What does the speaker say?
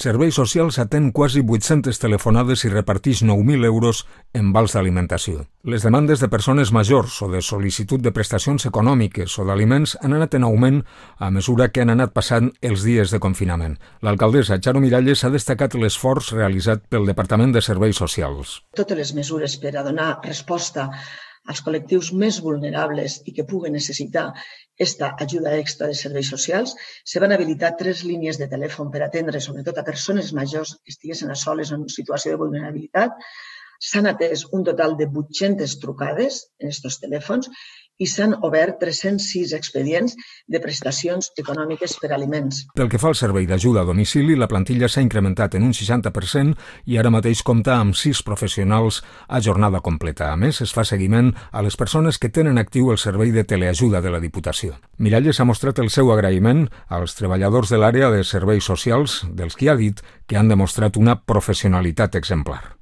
Serveis Socials atén quasi 800 telefonades i repartix 9.000 euros en vals d'alimentació. Les demandes de persones majors o de sol·licitud de prestacions econòmiques o d'aliments han anat en augment a mesura que han anat passant els dies de confinament. L'alcaldessa Charo Miralles ha destacat l'esforç realitzat pel Departament de Serveis Socials. Totes les mesures per a donar resposta als col·lectius més vulnerables i que puguen necessitar aquesta ajuda extra de serveis socials, se van habilitar 3 línies de telèfon per atendre sobretot a persones majors que estiguessin a soles en situació de vulnerabilitat. S'han atès un total de 800 trucades en aquests telèfons i s'han obert 306 expedients de prestacions econòmiques per aliments. Pel que fa al servei d'ajuda a domicili, la plantilla s'ha incrementat en un 60% i ara mateix compta amb 6 professionals a jornada completa. A més, es fa seguiment a les persones que tenen actiu el servei de teleajuda de la Diputació. Miralles ha mostrat el seu agraïment als treballadors de l'àrea de serveis socials, dels qui ha dit que han demostrat una professionalitat exemplar.